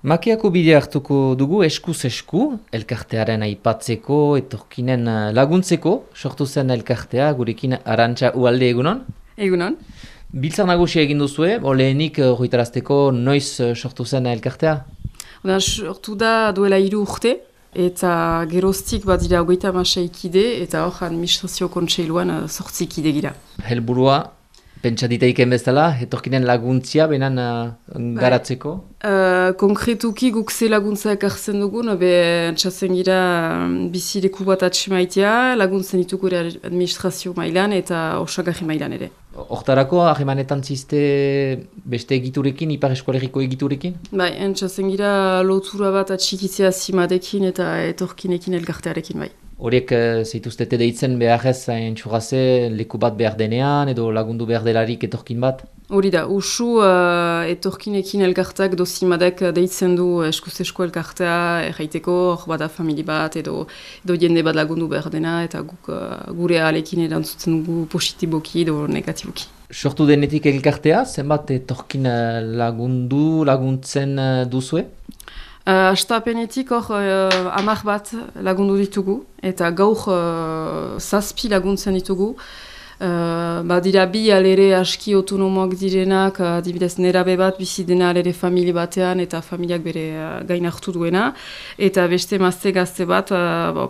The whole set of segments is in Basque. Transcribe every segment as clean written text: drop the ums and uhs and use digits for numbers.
Makeako bidea hartuko dugu eskuz esku, elkartearen aipatzeko, etorkinen laguntzeko, sortu zen elkartea, gurekin Arantxa Ualde egunon. Egunon. Biltzar nagusia egin duzue, lehenik horretarazteko noiz sortu zen elkartea? Sortu da duela 3 urte, eta geroztik badira 36 kide, eta hor administrazio kontseiluan 8 kide gira. Helburua, pentsa ditaiken bezala, etorkinen laguntzia benan garatzeko? Konkretuki guk ze laguntza ekartzen dugun, txasen gira bizileku bat atxemaitea, laguntzen ditugu administrazio mailan eta osagarri mailan ere. Hortarako, ahemanetan ziste beste egiturekin, Ipar Eskolegiko egiturekin? Bai, txasen gira lotura bat atxikitzea zimadekin eta etorkinekin elkartearekin bai. Horiek zeituztete deitzen beharrez entxurraze leku bat behar denean edo lagundu behar delarik etorkin bat? Hori da, usu etorkinekin elkarteak dozimadek deitzen du eskuz-esko elkartea erraiteko, hor bada famili bat edo jende bat lagundu behar dena eta guk gure ahalekin erantzutzen dugu positiboki edo negatiboki. Sortu denetik elkartea, zenbat etorkin laguntzen duzue? Astapenetik hor 10 bat lagundu ditugu eta gaur 7 laguntzen ditugu. Badira bi alere aski autonomoak direnak, adibidez nerabe bat bizi dena alere famili batean eta familiak bere gain hartu duena. Eta beste mazte gazte bat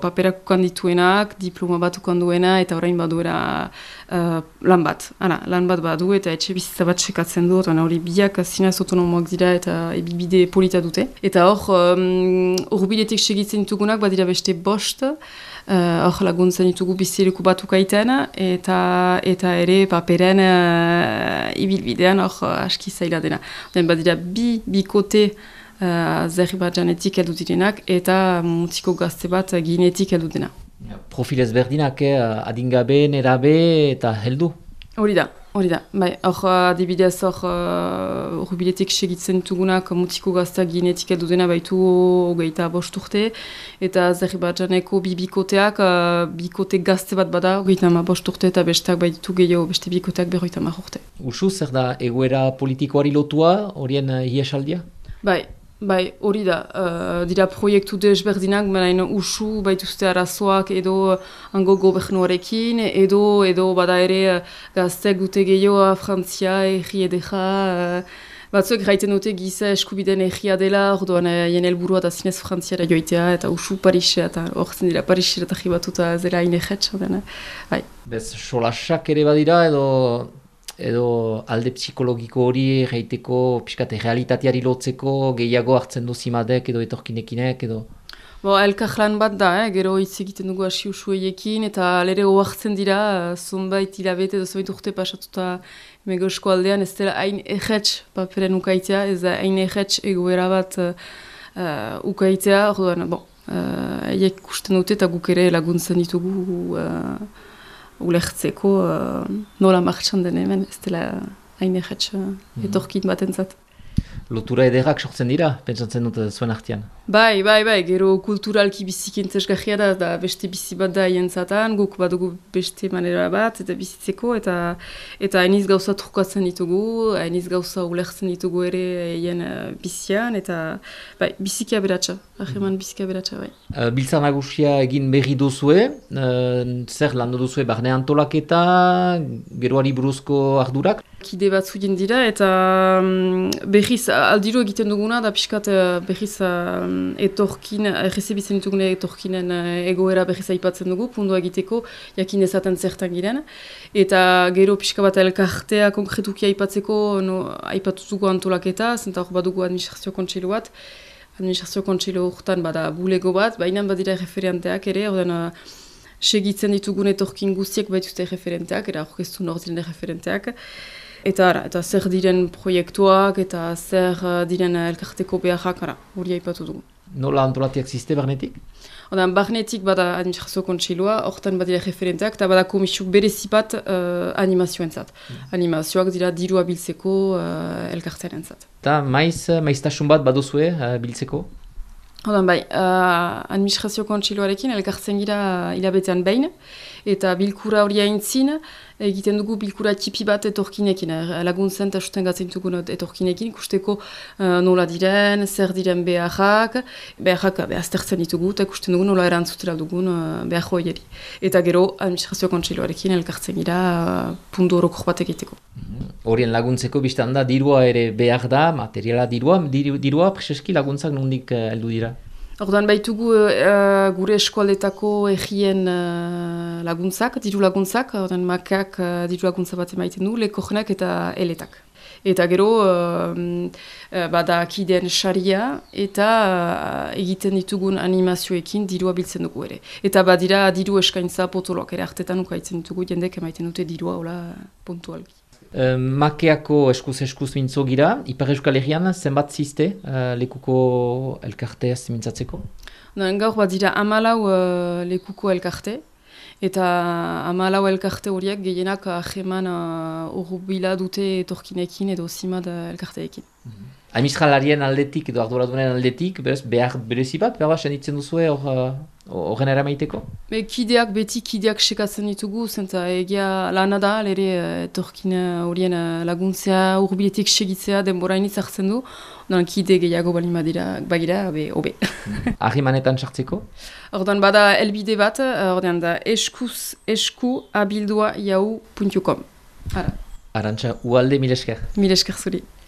paperak ukan dituenak, diploma bat ukan duena eta orain baduera lan bat. Lan bat badu eta etxe bizitza bat sekatzen du, eta hori biak zinez autonomoak dira eta ebibide polita dute. Eta hor urbiletik segitzen ditugunak badira beste 5, hor laguntzen ditugu bizileku bat ukaiten eta ere paperen ibilbidean hor aski zaila dena. Badira bikote Azerbaijanetik heldu direnak eta mutiko gazte bat Ginetik heldu dena. Profil ezberdinak, adingabe, nerabe eta heldu? Hori da. Bai, hor adibidez hor urbiletik segitzen ditugunak mutiko gazteak Ginetik heldu dena baitu 25 urte eta Azerbaidjaneko bikoteak bikote gazte bat bada 25 urte eta besteak baitu gehiago beste bikoteak 50 urte. Usu, zer da egoera politikoari lotua, horien iesaldia? Bai, hori da. Dira proiektu desberdinak, baina usu baituzte arazoak edo hango gobernuarekin, edo bada ere gazteak dute gehiago Frantzia, erri edeja, batzuek gaiten dute giza eskubideen erria dela, orduan jen helburua da zinez Frantziara joitea, eta usu Parisea, eta horzen dira Parisera eta jibatuta zela inexetx, bai. Bez, solasak ere badira edo alde psikologiko hori gaiteko pixkate realitateari lotzeko gehiago hartzen du zimadek edo etorkinekinek edo? Elkarlan bat da, gero hitz egiten dugu hasi usueiekin eta lere oartzen dira zonbait hilabete edo zonbait urte pasatuta mego eskualdean ez dela hain erretx paperen ukaitea, ez da hain erretx egoera bat ukaitea, orduan, eiek ikusten dute eta guk ere laguntzen ditugu ulertzeko nola martxan den hemen, ez dela hain erretx etorkin batentzat. Lotura ederrak sortzen dira, pentsatzen dut zuen artean? Bai, gero kulturalki bizikintesgahia da beste bizi bat da hientzatan, guk badugu beste manera bat eta bizitzeko eta hainiz gauza trukatzen ditugu, hainiz gauza ulertzen ditugu ere hien bizian eta biziki aberatsa, aheman biziki aberatsa, bai. Biltzar nagusia egin berri duzue, zer landu duzue barne antolaketa, geroari buruzko ardurak? Kide batzu dira eta berriz aldiro egiten duguna da pixkat berriz etorkin, errezibitzen ditugune etorkinen egoera berriz aipatzen dugu, pundua egiteko, jakin ezaten zertan giren. Eta gero pixka bat elkartea konkretuki aipatzeko aipatutuko antolaketa, zenta hor badugu administrazio kontseilu bat. Administrazio kontseilu horretan bada bulego bat, baina badira referenteak ere, ordean segitzen ditugun etorkin guztiek baituzte referenteak, era orkestu nordiren referenteak. Eta zer diren proiektuak eta zer diren elkarteko beharrak, hori aipatu dugu. Nola antolatiak ziste barnetik? Barnetik bada administrazio kontseilua, horretan badira referenteak, eta bada komisiuk berezipat animazioentzat. Animazioak dira dirua biltzeko elkartearentzat. Eta maiztasun bat baduzue biltzeko? Administrazio kontseiluarekin elkartzen gira hilabetean behin, eta bilkura hori aintzin, egiten dugu bilkura tipi bat etorkinekin, laguntzen eta susten gatzen dugun etorkinekin, ikusteko nola diren, zer diren beharrak aztertzen ditugu, eta ikusten dugu nola erantzutela dugun behar hoieri. Eta gero, administrazio kontseiluarekin elkartzen gira puntu horokor bat egiteko. Horien laguntzeko biztan da, dirua ere behar da, materiala dirua preseski laguntzak nondik heldu dira? Orduan baitugu gure eskualdetako egien laguntzak, diru laguntzak, orduan makak diru laguntza bat emaiten du, lekojenak eta eletak. Eta gero, bada kideen saria eta egiten ditugun animazioekin dirua biltzen dugu ere. Eta badira diru eskaintza potoloak ere hartetan ukaitzen ditugu, jendek emaiten dute dirua hola puntualki. Makeako eskuz mintzo gira, Ipar Euskal Herrian zenbat ziste lekuko elkarteaz mintzatzeko? Gaur bat dira 14 lekuko elkarte, eta 14 elkarte horiek gehienak aheman urrubila dute etorkinekin edo zimad elkarteekin. Administralarien aldetik edo arduradunen aldetik, behar berezi bat, behar senditzen duzue horren eramaiteko? Kideak sekatzen ditugu, zenta egia lana da, lere etorkin horien laguntzea, urbiletik segitzea denborainitz hartzen du, odan kide gehiago balin bagira, hobe. Ahimanetan sartzeko? Ordan bada elbide bat, ordan da esku abildua.yahoo.com. Arantxa, ualde mil esker. Mil esker zuri.